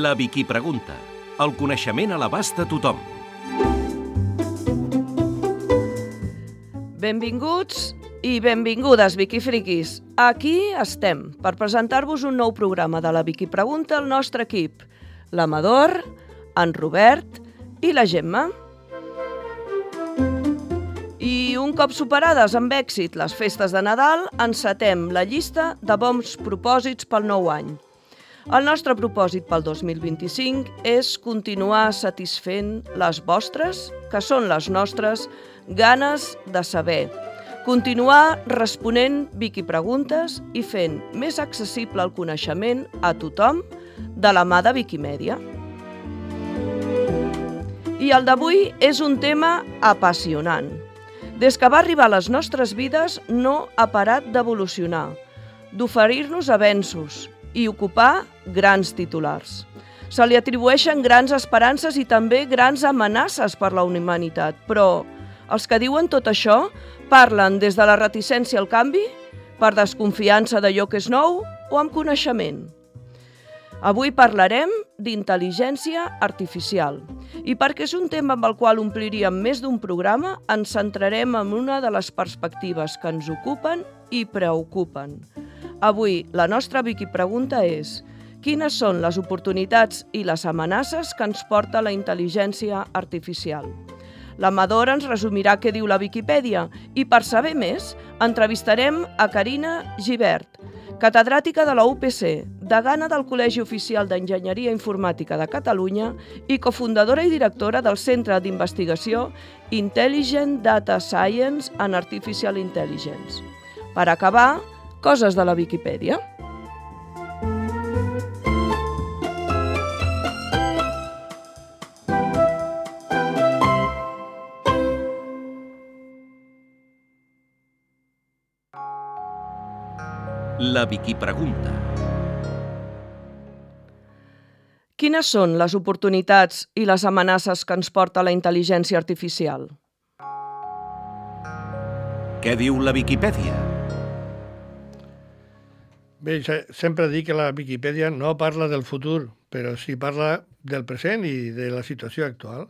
La Viquipregunta. El coneixement a l'abast de tothom. Benvinguts i benvingudes, Viquifriquis. Aquí estem per presentar-vos un nou programa de la Viquipregunta al nostre equip. L'Amador, en Robert i la Gemma. I un cop superades amb èxit les festes de Nadal, encetem la llista de bons propòsits pel nou any. El nostre propòsit pel 2025 és continuar satisfent les vostres, que són les nostres, ganes de saber. Continuar responent Viquipreguntes i fent més accessible el coneixement a tothom de la mà de Viquimèdia. I el d'avui és un tema apassionant. Des que va arribar a les nostres vides no ha parat d'evolucionar, d'oferir-nos avenços i ocupar grans titulars. Se li atribueixen grans esperances i també grans amenaces per la humanitat, però els que diuen tot això parlen des de la reticència al canvi, per desconfiança d'allò que és nou o amb coneixement. Avui parlarem d'intel·ligència artificial i perquè és un tema amb el qual ompliríem més d'un programa, ens centrarem en una de les perspectives que ens ocupen i preocupen. Avui la nostra Viquipregunta és: quines són les oportunitats i les amenaces que ens porta la intel·ligència artificial? L'Amador ens resumirà què diu la Viquipèdia i per saber més entrevistarem a Carina Gibert, catedràtica de la UPC, degana del Col·legi Oficial d'Enginyeria Informàtica de Catalunya i cofundadora i directora del Centre d'Investigació Intelligent Data Science and Artificial Intelligence. Per acabar, coses de la Viquipèdia. La Viquipregunta. Quines són les oportunitats i les amenaces que ens porta la intel·ligència artificial? Què diu la Viquipèdia? Bé, sempre dic que la Viquipèdia no parla del futur, però sí parla del present i de la situació actual.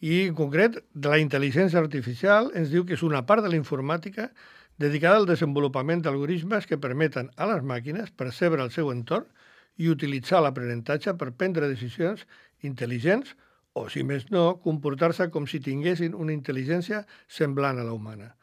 I, en concret, de la intel·ligència artificial ens diu que és una part de la informàtica dedicada al desenvolupament d'algoritmes que permeten a les màquines percebre el seu entorn i utilitzar l'aprenentatge per prendre decisions intel·ligents o, si més no, comportar-se com si tinguessin una intel·ligència semblant a la humana.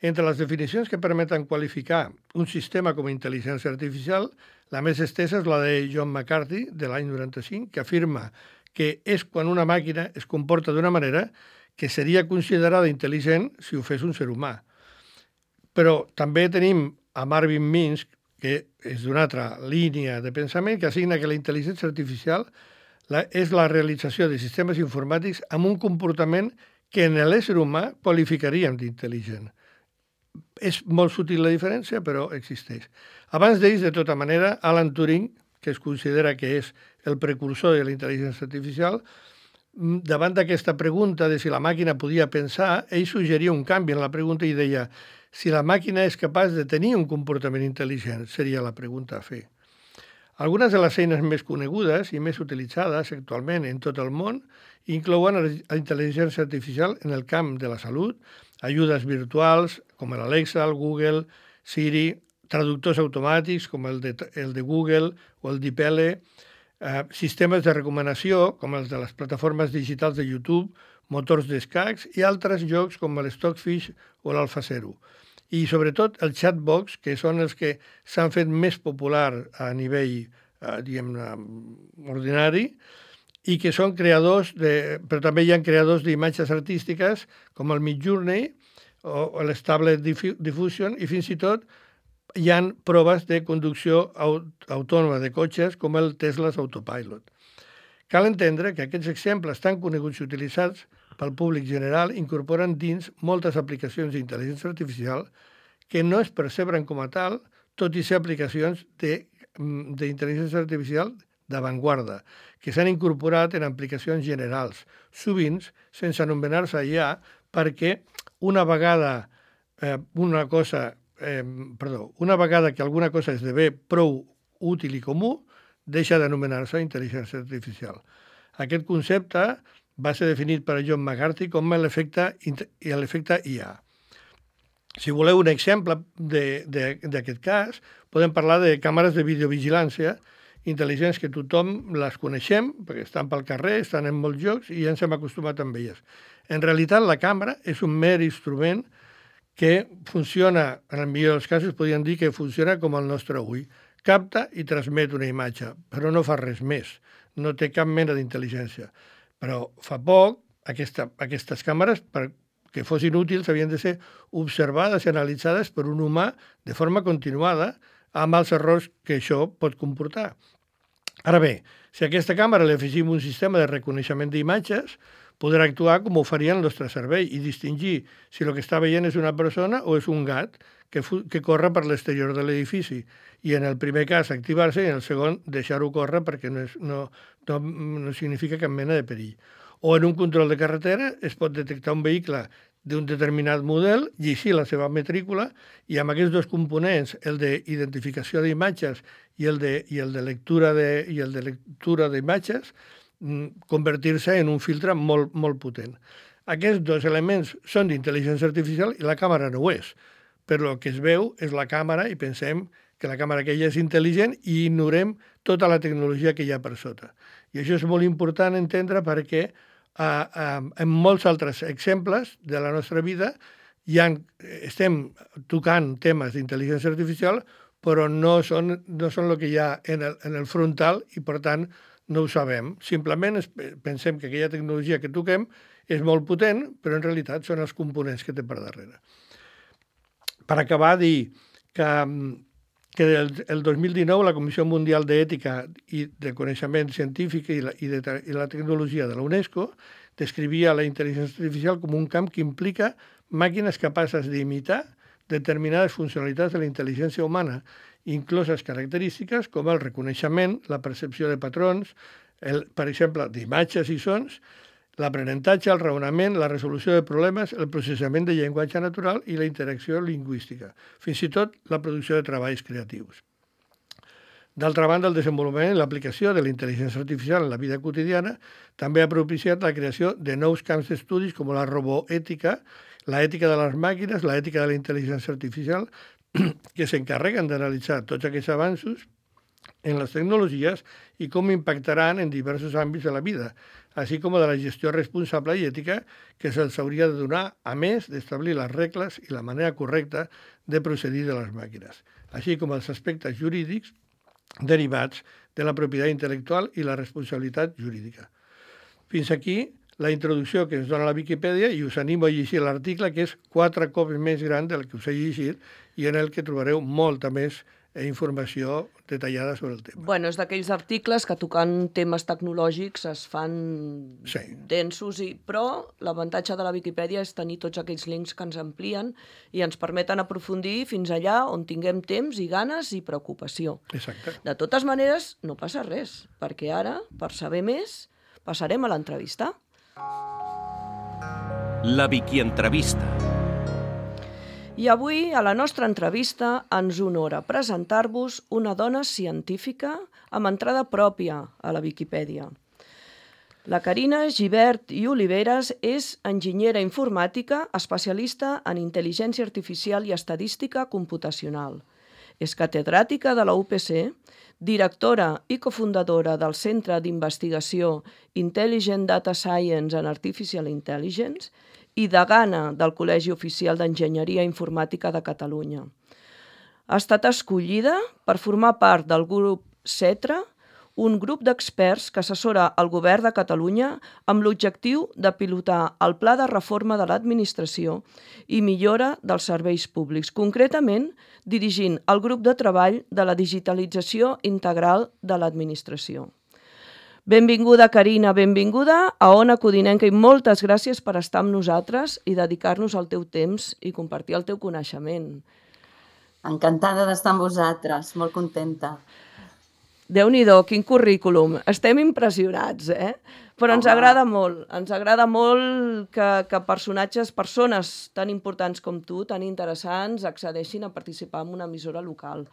Entre les definicions que permeten qualificar un sistema com a intel·ligència artificial, la més estesa és la de John McCarthy, de l'any 95, que afirma que és quan una màquina es comporta d'una manera que seria considerada intel·ligent si ho fes un ser humà. Però també tenim a Marvin Minsky, que és d'una altra línia de pensament, que assigna que la intel·ligència artificial és la realització de sistemes informàtics amb un comportament que en l'ésser humà qualificaríem d'intel·ligent. És molt sutil la diferència, però existeix. Abans d'ells, de tota manera, Alan Turing, que es considera que és el precursor de la intel·ligència artificial, davant d'aquesta pregunta de si la màquina podia pensar, ell suggeria un canvi en la pregunta i deia: si la màquina és capaç de tenir un comportament intel·ligent, seria la pregunta a fer. Algunes de les eines més conegudes i més utilitzades actualment en tot el món inclouen la intel·ligència artificial en el camp de la salut, ajudes virtuals com l'Alexa, el Google, Siri, traductors automàtics com el de Google o el DeepL, sistemes de recomanació com els de les plataformes digitals de YouTube, motors d'escacs i altres jocs com el Stockfish o l'AlphaZero. I sobretot els chatbots, que són els que s'han fet més popular a nivell, ordinari, i que són creadors però també hi ha creadors d'imatges artístiques com el Midjourney o l'Stable Diffusion, i fins i tot hi ha proves de conducció autònoma de cotxes com el Tesla's Autopilot. Cal entendre que aquests exemples tan coneguts i utilitzats pel públic general incorporen dins moltes aplicacions d'intel·ligència artificial que no es percebren com a tal, tot i ser aplicacions d'intel·ligència artificial d'avantguarda, que s'han incorporat en aplicacions generals, sovint sense anomenar-se IA, perquè una vegada que alguna cosa esdevé prou útil i comú, deixa d'anomenar-se intel·ligència artificial. Aquest concepte va ser definit per John McCarthy com l'efecte IA. Si voleu un exemple d'aquest cas, podem parlar de càmeres de videovigilància intel·ligents que tothom les coneixem, perquè estan pel carrer, estan en molts llocs i ja ens hem acostumat amb elles. En realitat, la càmera és un mer instrument que funciona, en el millor dels casos, podríem dir que funciona com el nostre ull. Capta i transmet una imatge, però no fa res més. No té cap mena d'intel·ligència. Però fa poc, aquestes càmeres, perquè fossin útils, havien de ser observades i analitzades per un humà de forma continuada, amb els errors que això pot comportar. Ara bé, si a aquesta càmera li afegim un sistema de reconeixement d'imatges, podrà actuar com ho faria el nostre cervell i distingir si el que està veient és una persona o és un gat que corre per l'exterior de l'edifici. I en el primer cas activar-se i en el segon deixar-ho córrer perquè no significa cap mena de perill. O en un control de carretera es pot detectar un vehicle d'un determinat model, llegir la seva matrícula i amb aquests dos components, el d'identificació d'imatges i el de lectura d'imatges, convertir-se en un filtre molt, molt potent. Aquests dos elements són d'intel·ligència artificial i la càmera no ho és. Però el que es veu és la càmera i pensem que la càmera aquella és intel·ligent i ignorem tota la tecnologia que hi ha per sota. I això és molt important entendre perquè en molts altres exemples de la nostra vida estem tocant temes d'intel·ligència artificial, però no són el que hi ha en el frontal i, per tant, no ho sabem. Simplement pensem que aquella tecnologia que toquem és molt potent, però en realitat són els components que té per darrere. Per acabar, dir que el 2019 la Comissió Mundial d'Ètica i de Coneixement Científic i la Tecnologia de la UNESCO descrivia la intel·ligència artificial com un camp que implica màquines capaces d'imitar determinades funcionalitats de la intel·ligència humana, incloses característiques com el reconeixement, la percepció de patrons, per exemple, d'imatges i sons, l'aprenentatge, el raonament, la resolució de problemes, el processament de llenguatge natural i la interacció lingüística, fins i tot la producció de treballs creatius. D'altra banda, el desenvolupament i l'aplicació de la intel·ligència artificial en la vida quotidiana també ha propiciat la creació de nous camps d'estudis com la roboètica, l'ètica de les màquines, l'ètica de la intel·ligència artificial, que s'encarreguen d'analitzar tots aquests avanços en les tecnologies i com impactaran en diversos àmbits de la vida, així com de la gestió responsable i ètica que se'ls hauria de donar, a més d'establir les regles i la manera correcta de procedir de les màquines, així com els aspectes jurídics derivats de la propietat intel·lectual i la responsabilitat jurídica. Fins aquí la introducció que ens dona la Viquipèdia i us animo a llegir l'article, que és 4 cops més gran del que us he llegit i en el que trobareu molta més informació detallada sobre el tema. Bueno, és d'aquells articles que tocant temes tecnològics es fan densos, però l'avantatge de la Viquipèdia és tenir tots aquells links que ens amplien i ens permeten aprofundir fins allà on tinguem temps i ganes i preocupació. Exacte. De totes maneres, no passa res, perquè ara, per saber més, passarem a l'entrevista. La Viquientrevista. I avui, a la nostra entrevista, ens honora presentar-vos una dona científica amb entrada pròpia a la Viquipèdia. La Carina Gibert i Oliveres és enginyera informàtica, especialista en intel·ligència artificial i estadística computacional. És catedràtica de la UPC, directora i cofundadora del Centre d'Investigació Intelligent Data Science and Artificial Intelligence i degana del Col·legi Oficial d'Enginyeria Informàtica de Catalunya. Ha estat escollida per formar part del grup CETRA, un grup d'experts que assessora el Govern de Catalunya amb l'objectiu de pilotar el Pla de Reforma de l'Administració i millora dels serveis públics, concretament dirigint el grup de treball de la digitalització integral de l'administració. Benvinguda, Carina, benvinguda a Ona Codinenca i moltes gràcies per estar amb nosaltres i dedicar-nos el teu temps i compartir el teu coneixement. Encantada d'estar amb vosaltres, molt contenta. Déu-n'hi-do, quin currículum. Estem impressionats, Però ens Home. agrada molt que persones tan importants com tu, tan interessants, accedeixin a participar en una emissora local.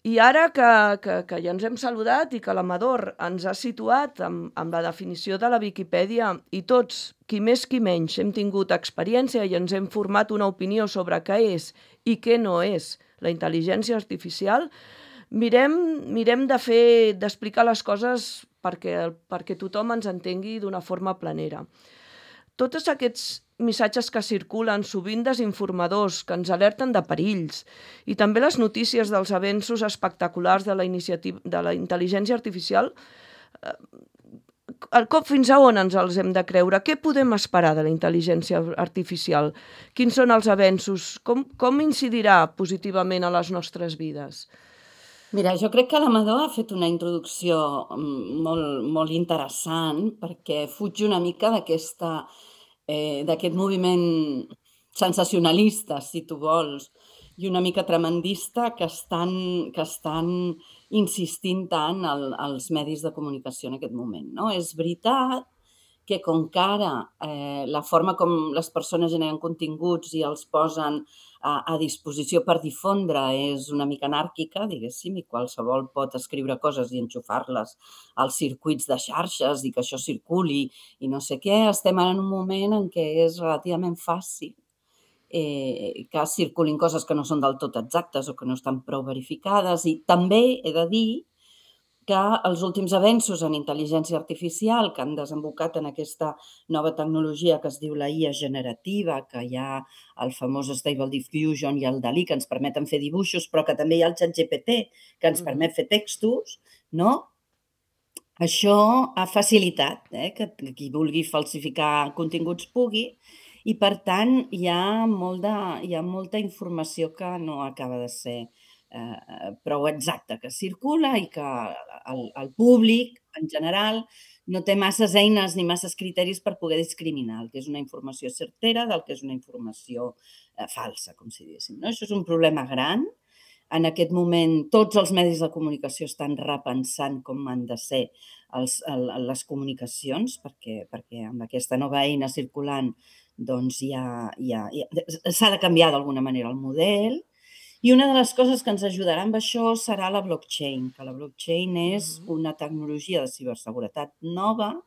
I ara que ja ens hem saludat i que l'Amador ens ha situat amb la definició de la Viquipèdia i tots, qui més qui menys, hem tingut experiència i ens hem format una opinió sobre què és i què no és la intel·ligència artificial, mirem d'explicar les coses perquè tothom ens entengui d'una forma planera. Tots aquests missatges que circulen, sovint desinformadors, que ens alerten de perills, i també les notícies dels avenços espectaculars de la intel·ligència artificial, fins a on ens els hem de creure? Què podem esperar de la intel·ligència artificial? Quins són els avenços? Com incidirà positivament a les nostres vides? Mira, jo crec que l'Amador ha fet una introducció molt interessant perquè fuig una mica d'aquest moviment sensacionalista, si tu vols, i una mica tremendista que estan insistint tant als medis de comunicació en aquest moment, no? És veritat que com que ara la forma com les persones generen continguts i els posen a disposició per difondre és una mica anàrquica, diguéssim, i qualsevol pot escriure coses i enxufar-les als circuits de xarxes i que això circuli i no sé què, estem ara en un moment en què és relativament fàcil que circulin coses que no són del tot exactes o que no estan prou verificades. I també he de dir que els últims avenços en intel·ligència artificial que han desembocat en aquesta nova tecnologia que es diu la IA generativa, que hi ha el famós Stable Diffusion i el DALL-E, que ens permeten fer dibuixos, però que també hi ha el ChatGPT, que ens permet fer textos, no? Això ha facilitat que qui vulgui falsificar continguts pugui, i per tant hi ha molta informació que no acaba de ser prou exacta, que circula i que el públic, en general, no té masses eines ni masses criteris per poder discriminar el que és una informació certera del que és una informació falsa, com si diguéssim. No? Això és un problema gran. En aquest moment, tots els medis de comunicació estan repensant com han de ser les comunicacions, perquè amb aquesta nova eina circulant doncs s'ha de canviar d'alguna manera el model. I una de les coses que ens ajudarà amb això serà la blockchain, que la blockchain és una tecnologia de ciberseguretat nova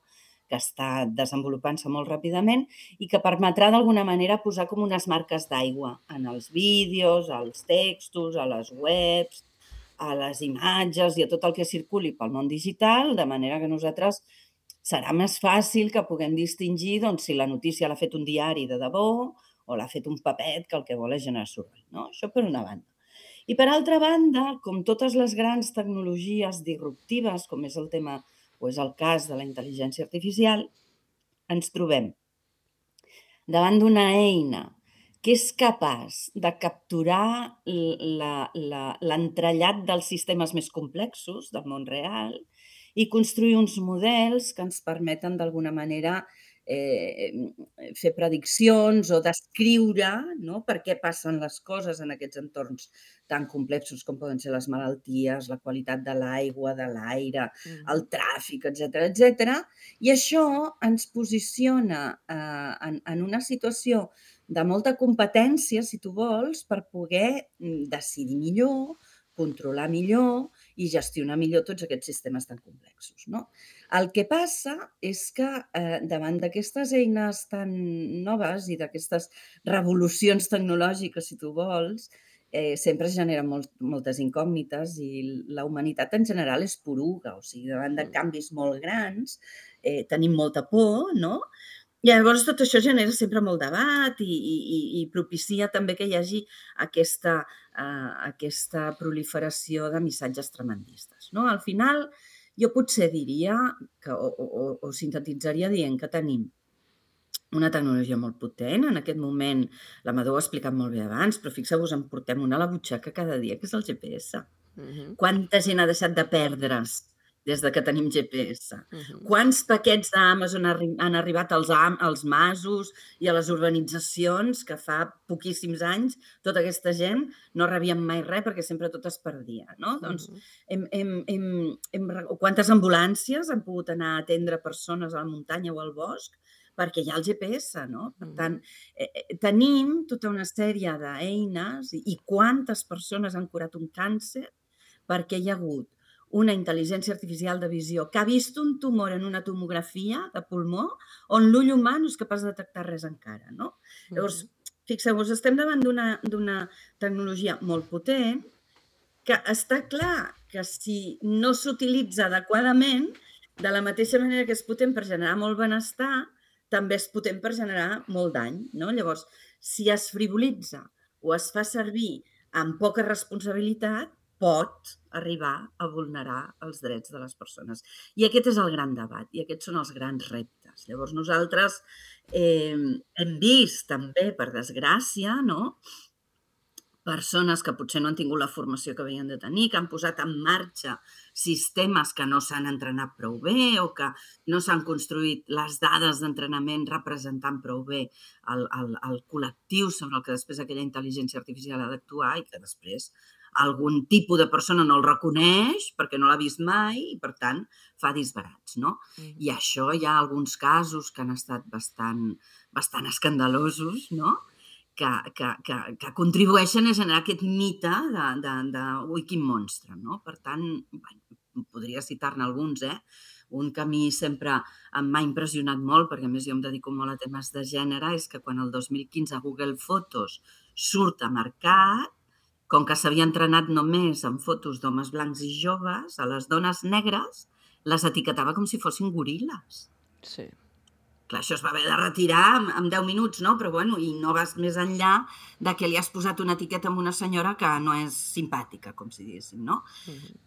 que està desenvolupant-se molt ràpidament i que permetrà d'alguna manera posar com unes marques d'aigua en els vídeos, als textos, a les webs, a les imatges i a tot el que circuli pel món digital, de manera que nosaltres serà més fàcil que puguem distingir si la notícia l'ha fet un diari de debò o l'ha fet un papet que el que vol és generar soroll. No? Això per una banda. I per altra banda, com totes les grans tecnologies disruptives, com és el tema o és el cas de la intel·ligència artificial, ens trobem davant d'una eina que és capaç de capturar l'entrellat dels sistemes més complexos del món real i construir uns models que ens permeten d'alguna manera fer prediccions o descriure per què passen les coses en aquests entorns tan complexos com poden ser les malalties, la qualitat de l'aigua, de l'aire, el tràfic, etc. I això ens posiciona en una situació de molta competència, si tu vols, per poder decidir millor, controlar millor i gestionar millor tots aquests sistemes tan complexos. No? El que passa és que davant d'aquestes eines tan noves i d'aquestes revolucions tecnològiques, si tu vols, sempre es generen moltes incògnites i la humanitat en general és poruga, o sigui, davant de canvis molt grans tenim molta por, no? I llavors tot això genera sempre molt debat i propicia també que hi hagi aquesta proliferació de missatges tremendistes. No? Al final, jo potser diria o sintetitzaria dient que tenim una tecnologia molt potent. En aquest moment, l'Amador ho ha explicat molt bé abans, però fixeu-vos, en portem una a la butxaca cada dia, que és el GPS. Quanta gent ha deixat de perdre's des de que tenim GPS. Quants paquets d'Amazon han arribat als masos i a les urbanitzacions que fa poquíssims anys tota aquesta gent no rebien mai res perquè sempre tot es perdia, no? Doncs quantes ambulàncies han pogut anar a atendre persones a la muntanya o al bosc perquè hi ha el GPS, no? Per tant, tenim tota una sèrie d'eines i quantes persones han curat un càncer perquè hi ha hagut una intel·ligència artificial de visió que ha vist un tumor en una tomografia de pulmó on l'ull humà no és capaç de detectar res encara, no? Llavors, fixeu-vos, estem davant d'una tecnologia molt potent que està clar que si no s'utilitza adequadament, de la mateixa manera que és potent per generar molt benestar, també és potent per generar molt dany, no? Llavors, si es frivolitza o es fa servir amb poca responsabilitat, pot arribar a vulnerar els drets de les persones. I aquest és el gran debat i aquests són els grans reptes. Llavors nosaltres hem vist també, per desgràcia, no? Persones que potser no han tingut la formació que havien de tenir, que han posat en marxa sistemes que no s'han entrenat prou bé o que no s'han construït les dades d'entrenament representant prou bé el col·lectiu sobre el que després aquella intel·ligència artificial ha d'actuar i que després algun tipus de persona no el reconeix perquè no l'ha vist mai i, per tant, fa disbarats, no? I això hi ha alguns casos que han estat bastant escandalosos, no? Que contribueixen a generar aquest mite de ui, quin monstre, no? Per tant, podria citar-ne alguns, Un que a mi sempre m'ha impressionat molt, perquè a més jo em dedico molt a temes de gènere, és que quan el 2015 a Google Fotos surt a mercat, com que s'havia entrenat només en fotos d'homes blancs i joves, a les dones negres les etiquetava com si fossin goril·les. Sí. Clar, això es va haver de retirar en 10 minuts, no? Però bueno, i no vas més enllà de que li has posat una etiqueta a una senyora que no és simpàtica, com si diguéssim, no?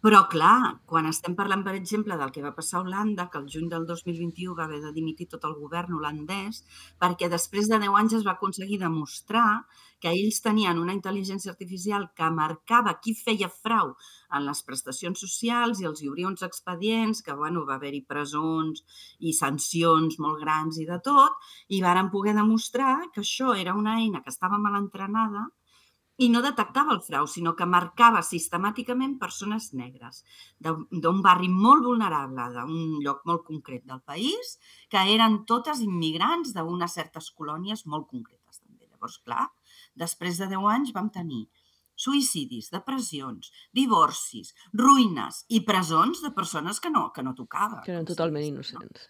Però clar, quan estem parlant, per exemple, del que va passar a Holanda, que el juny del 2021 va haver de dimitir tot el govern holandès, perquè després de 10 anys es va aconseguir demostrar que ells tenien una intel·ligència artificial que marcava qui feia frau en les prestacions socials i els hi obria uns expedients, que bueno, va haver-hi presons i sancions molt grans i de tot, i varen poder demostrar que això era una eina que estava mal entrenada i no detectava el frau, sinó que marcava sistemàticament persones negres d'un barri molt vulnerable, d'un lloc molt concret del país, que eren totes immigrants d'unes certes colònies molt concretes també. Llavors, clar, després de 10 anys vam tenir suïcidis, depressions, divorcis, ruïnes i presons de persones que no tocava. Que eren totalment innocents.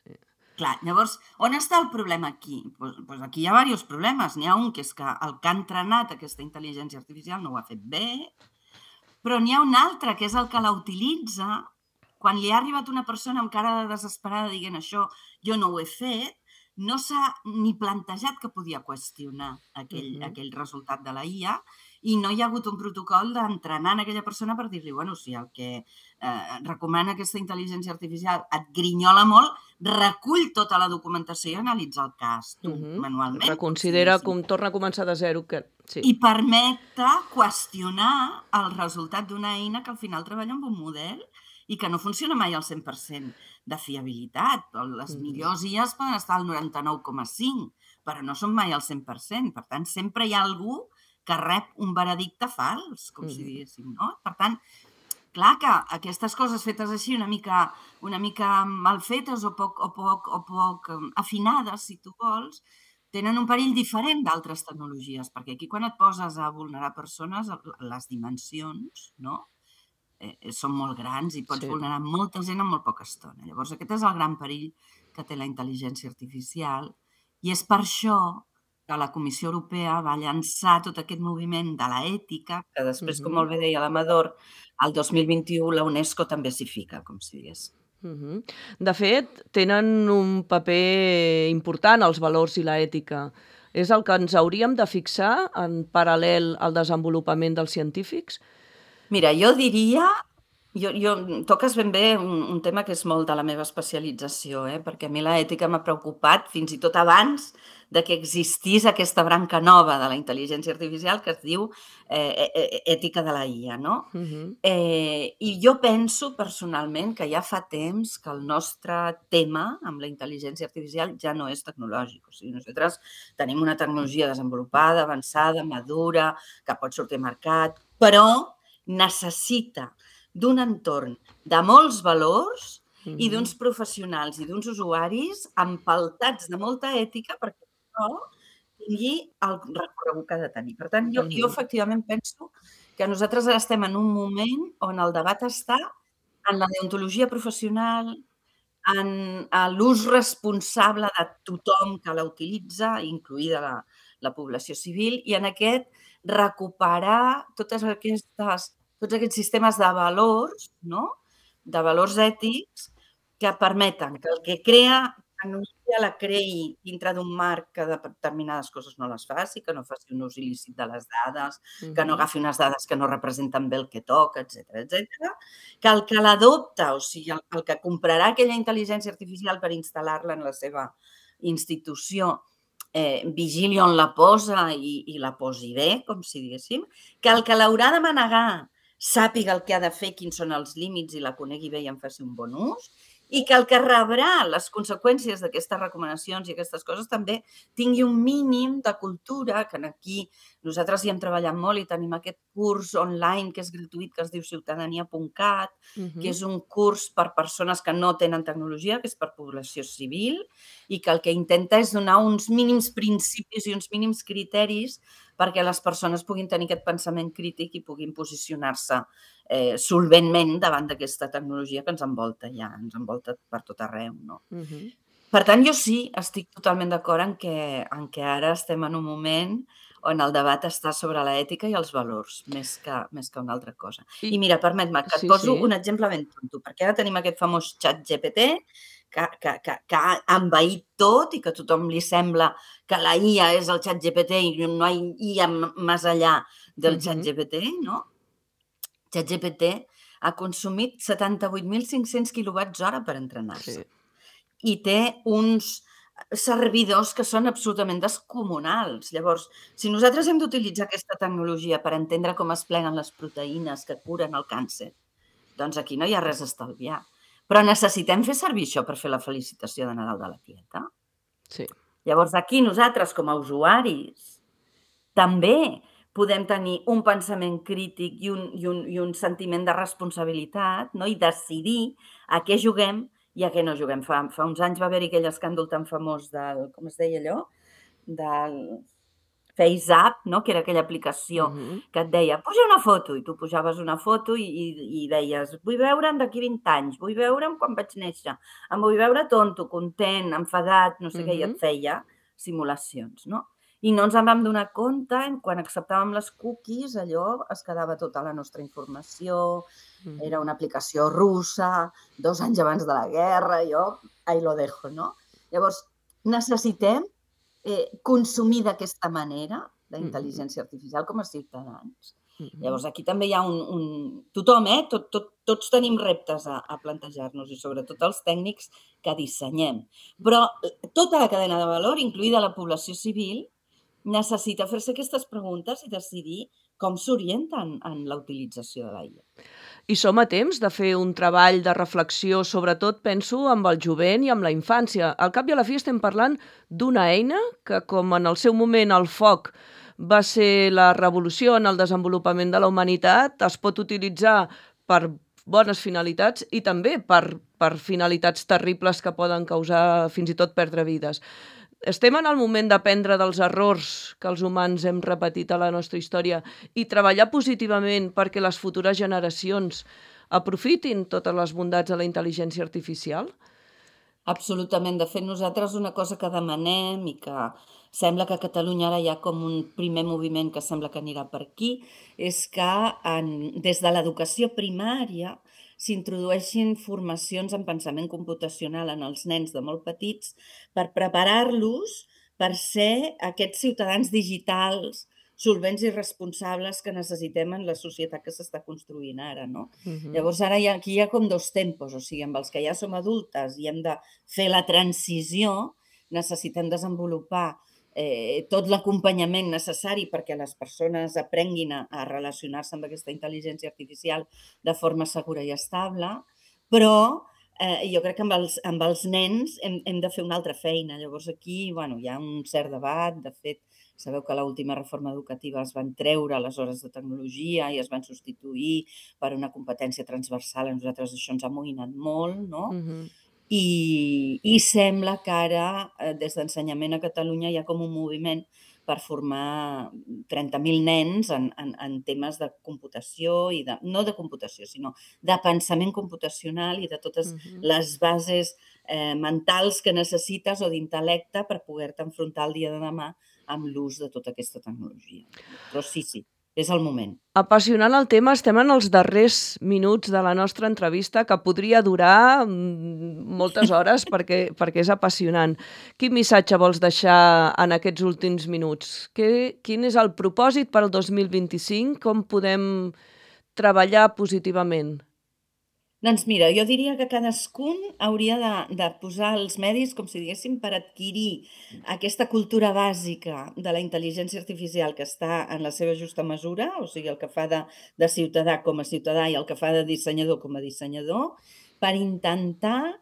Clar, llavors, on està el problema aquí? Doncs aquí hi ha diversos problemes. N'hi ha un que és que el que ha entrenat aquesta intel·ligència artificial no ho ha fet bé, però n'hi ha un altre que és el que la utilitza. Quan li ha arribat una persona amb cara de desesperada dient això, jo no ho he fet, no s'ha ni plantejat que podia qüestionar aquell resultat de la IA i no hi ha hagut un protocol d'entrenar en aquella persona per dir-li, bueno, si el que recomana aquesta intel·ligència artificial et grinyola molt, recull tota la documentació i analitza el cas tu, manualment. Reconsidera com torna a començar de zero. I permet qüestionar el resultat d'una eina que al final treballa amb un model i que no funciona mai al 100% de fiabilitat. Les millors IAs poden estar al 99,5%, però no són mai al 100%. Per tant, sempre hi ha algú que rep un veredicte fals, com si diguéssim, no? Per tant, clar que aquestes coses fetes així una mica mal fetes o poc afinades, si tu vols, tenen un perill diferent d'altres tecnologies, perquè aquí quan et poses a vulnerar persones, les dimensions, no?, són molt grans i pots vulnerar molta gent en molt poca estona. Llavors, aquest és el gran perill que té la intel·ligència artificial i és per això que la Comissió Europea va llançar tot aquest moviment de l'ètica, que després, com molt bé deia l'Amador, el 2021 la UNESCO també s'hi fica, com si digués. De fet, tenen un paper important els valors i l'ètica. És el que ens hauríem de fixar en paral·lel al desenvolupament dels científics? Mira, jo diria Toques ben bé un tema que és molt de la meva especialització, perquè a mi l'ètica m'ha preocupat fins i tot abans de que existís aquesta branca nova de la intel·ligència artificial que es diu ètica de la IA, no? I jo penso personalment que ja fa temps que el nostre tema amb la intel·ligència artificial ja no és tecnològic. O sigui, nosaltres tenim una tecnologia desenvolupada, avançada, madura, que pot sortir al mercat, però necessita d'un entorn de molts valors i d'uns professionals i d'uns usuaris empaltats de molta ètica perquè això tingui el recorregut que ha de tenir. Per tant, jo efectivament penso que nosaltres ara estem en un moment on el debat està en la deontologia professional, en l'ús responsable de tothom que la utilitza, incloïda la població civil, i en aquest recuperar tots aquests sistemes de valors, no? De valors ètics que permeten que el que crea tecnologia la creï dintre d'un marc que determinades coses no les faci, que no faci un ús il·lícit de les dades, que no agafi unes dades que no representen bé el que toca, etc. Que el que l'adopta, o sigui, el que comprarà aquella intel·ligència artificial per instal·lar-la en la seva institució, vigili on la posa i la posi bé, com si diguéssim, que el que l'haurà de manegar sàpiga el que ha de fer, quins són els límits i la conegui bé i en faci un bon ús, i que el que rebrà les conseqüències d'aquestes recomanacions i aquestes coses també tingui un mínim de cultura, que aquí nosaltres hi hem treballat molt i tenim aquest curs online que és gratuït, que es diu ciutadania.cat, que és un curs per persones que no tenen tecnologia, que és per població civil, i que el que intenta és donar uns mínims principis i uns mínims criteris perquè les persones puguin tenir aquest pensament crític i puguin posicionar-se solventment davant d'aquesta tecnologia que ens envolta ja, ens envolta per tot arreu, no? Per tant, jo sí estic totalment d'acord en que ara estem en un moment on el debat està sobre l'ètica i els valors, més que una altra cosa. I mira, permet-me que et poso un exemple ben tonto, perquè ara tenim aquest famós ChatGPT que ha envaït tot i que a tothom li sembla que la IA és el ChatGPT i no hi ha IA més enllà del ChatGPT, no? ChatGPT ha consumit 78.500 quilowatts-hora per entrenar-se. I té uns servidors que són absolutament descomunals. Llavors, si nosaltres hem d'utilitzar aquesta tecnologia per entendre com es pleguen les proteïnes que curen el càncer, doncs aquí no hi ha res a estalviar. Però necessitem fer servir això per fer la felicitació de Nadal de la tieta? Sí. Llavors, aquí nosaltres, com a usuaris, també podem tenir un pensament crític i un sentiment de responsabilitat, no? I decidir a què juguem i a què no juguem. Fa uns anys va haver-hi aquell escàndol tan famós del, com es deia allò? Del FaceApp, no? Que era aquella aplicació que et deia, puja una foto, i tu pujaves una foto i deies, vull veure'm d'aquí 20 anys, vull veure'm quan vaig néixer, em vull veure tonto, content, enfadat, no sé què, i et feia simulacions, no? I no ens en vam donar compte, quan acceptàvem les cookies, allò es quedava tota la nostra informació, era una aplicació russa, 2 anys abans de la guerra, jo ahí lo dejo, no? Llavors, necessitem consumir d'aquesta manera la intel·ligència artificial com a ciutadans. Llavors, aquí també hi ha tothom, tots tenim reptes a plantejar-nos i sobretot els tècnics que dissenyem. Però tota la cadena de valor, incloïda la població civil, necessita fer-se aquestes preguntes i decidir com s'orienten en la utilització de la IA. I som a temps de fer un treball de reflexió, sobretot, penso, amb el jovent i amb la infància. Al cap i a la fi estem parlant d'una eina que, com en el seu moment el foc va ser la revolució en el desenvolupament de la humanitat, es pot utilitzar per bones finalitats i també per finalitats terribles que poden causar fins i tot perdre vides. Estem en el moment d'aprendre dels errors que els humans hem repetit a la nostra història i treballar positivament perquè les futures generacions aprofitin totes les bondats de la intel·ligència artificial? Absolutament. De fet, nosaltres una cosa que demanem i que sembla que a Catalunya ara hi ha com un primer moviment que sembla que anirà per aquí, és que des de l'educació primària s'introdueixin formacions en pensament computacional en els nens de molt petits per preparar-los per ser aquests ciutadans digitals solvents i responsables que necessitem en la societat que s'està construint ara, no? Mhm. Llavors ara aquí hi ha com dos tempos, o sigui, amb els que ja som adultes i hem de fer la transició, necessitem desenvolupar tot l'acompanyament necessari perquè les persones aprenguin a relacionar-se amb aquesta intel·ligència artificial de forma segura i estable, però jo crec que amb els nens hem de fer una altra feina. Llavors aquí hi ha un cert debat. De fet, sabeu que a l'última reforma educativa es van treure les hores de tecnologia i es van substituir per una competència transversal. A nosaltres això ens ha amoïnat molt, no? I sembla que ara, des d'Ensenyament a Catalunya, hi ha com un moviment per formar 30.000 nens en temes de computació, i no de computació, sinó de pensament computacional i de totes les bases mentals que necessites o d'intel·lecte per poder-te enfrontar el dia de demà amb l'ús de tota aquesta tecnologia. Però sí, és el moment. Apassionant el tema, estem en els darrers minuts de la nostra entrevista, que podria durar moltes hores perquè és apassionant. Quin missatge vols deixar en aquests últims minuts? Quin és el propòsit per al 2025? Com podem treballar positivament? Doncs mira, jo diria que cadascun hauria de posar els medis, com si diguéssim, per adquirir aquesta cultura bàsica de la intel·ligència artificial que està en la seva justa mesura, o sigui, el que fa de ciutadà com a ciutadà i el que fa de dissenyador com a dissenyador, per intentar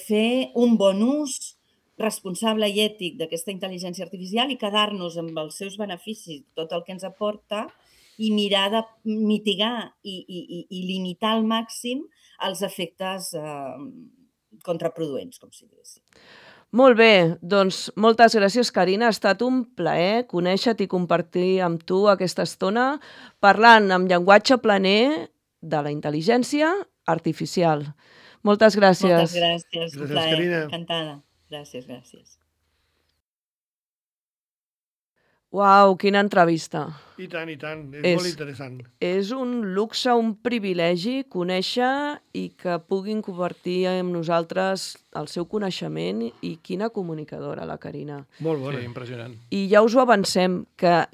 fer un bon ús responsable i ètic d'aquesta intel·ligència artificial i quedar-nos amb els seus beneficis, tot el que ens aporta, i mirar de mitigar i limitar al màxim els efectes contraproduents, com si diguéssim. Molt bé, doncs moltes gràcies, Carina. Ha estat un plaer conèixer-te i compartir amb tu aquesta estona parlant amb llenguatge planer de la intel·ligència artificial. Moltes gràcies. Moltes gràcies, un plaer, Carina. encantada. Gràcies. Uau, quina entrevista. I tant, és molt interessant. És un luxe, un privilegi conèixer i que puguin compartir amb nosaltres el seu coneixement, i quina comunicadora, la Carina. Molt bona. Sí, impressionant. I ja us ho avancem, que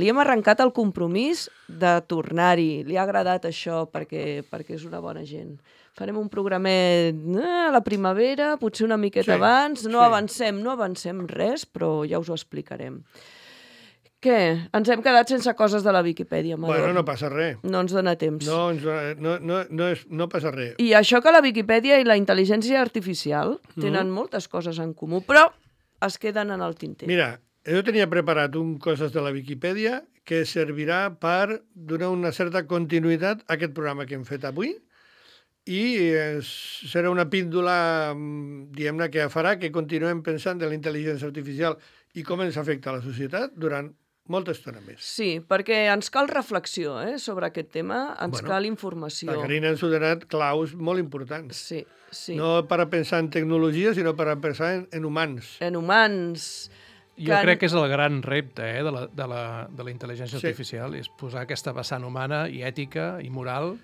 li hem arrencat el compromís de tornar-hi. Li ha agradat això perquè és una bona gent. Farem un programet a la primavera, potser una miqueta abans. No avancem res, però ja us ho explicarem. Què? Ens hem quedat sense coses de la Viquipèdia, Amador. Bueno, no passa res. No ens dona temps. No passa res. I això que la Viquipèdia i la intel·ligència artificial tenen moltes coses en comú, però es queden en el tinter. Mira, jo tenia preparat coses de la Viquipèdia que servirà per donar una certa continuïtat a aquest programa que hem fet avui, i serà una píndola, diguem-ne, que farà que continuem pensant de la intel·ligència artificial i com ens afecta a la societat durant molta estona més. Sí, perquè ens cal reflexió sobre aquest tema, cal informació. La Carina ens ha donat claus molt importants. Sí. No per a pensar en tecnologia, sinó per a pensar en humans. En humans. Jo crec que és el gran repte de la intel·ligència artificial, és posar aquesta vessant humana i ètica i moral,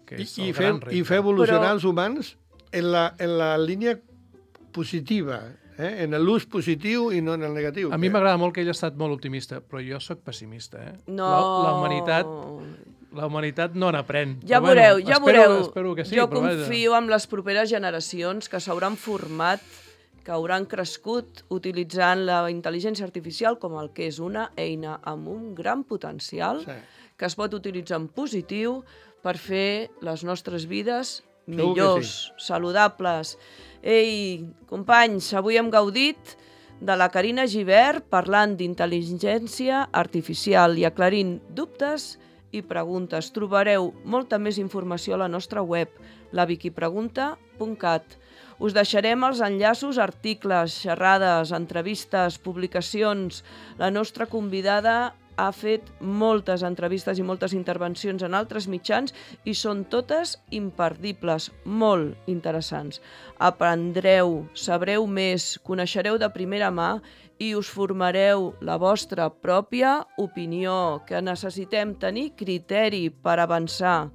que és el gran repte. I fer evolucionar els humans en la línia positiva, en l'ús positiu i no en el negatiu. A mi m'agrada molt que ell ha estat molt optimista, però jo sóc pessimista. No. La humanitat no n'aprèn. Ja veureu. Espero que sí. Jo confio en les properes generacions que s'hauran format, que hauran crescut utilitzant la intel·ligència artificial com el que és una eina amb un gran potencial, que es pot utilitzar en positiu per fer les nostres vides millors, saludables. Ei, companys, avui hem gaudit de la Carina Gibert parlant d'intel·ligència artificial i aclarint dubtes i preguntes. Trobareu molta més informació a la nostra web, laviquipregunta.cat. Us deixarem els enllaços, articles, xerrades, entrevistes, publicacions. La nostra convidada ha fet moltes entrevistes i moltes intervencions en altres mitjans i són totes imperdibles, molt interessants. Aprendreu, sabreu més, coneixereu de primera mà i us formareu la vostra pròpia opinió, que necessitem tenir criteri per avançar.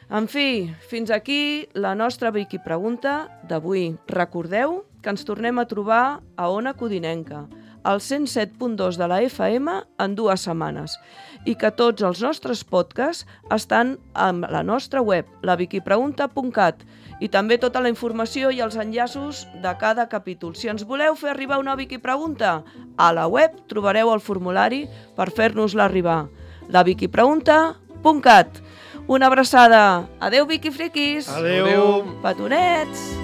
En fi, fins aquí la nostra Viquipregunta d'avui. Recordeu que ens tornem a trobar a Ona Codinenca, al 107.2 de la FM en 2 setmanes i que tots els nostres podcasts estan a la nostra web, laviquipregunta.cat, i també tota la informació i els enllaços de cada capítol. Si ens voleu fer arribar una Vicky Pregunta, a la web trobareu el formulari per fer-nos-la arribar. laviquipregunta.cat. Una abraçada. Adeu, Vicky Friquis. Adeu. Petonets.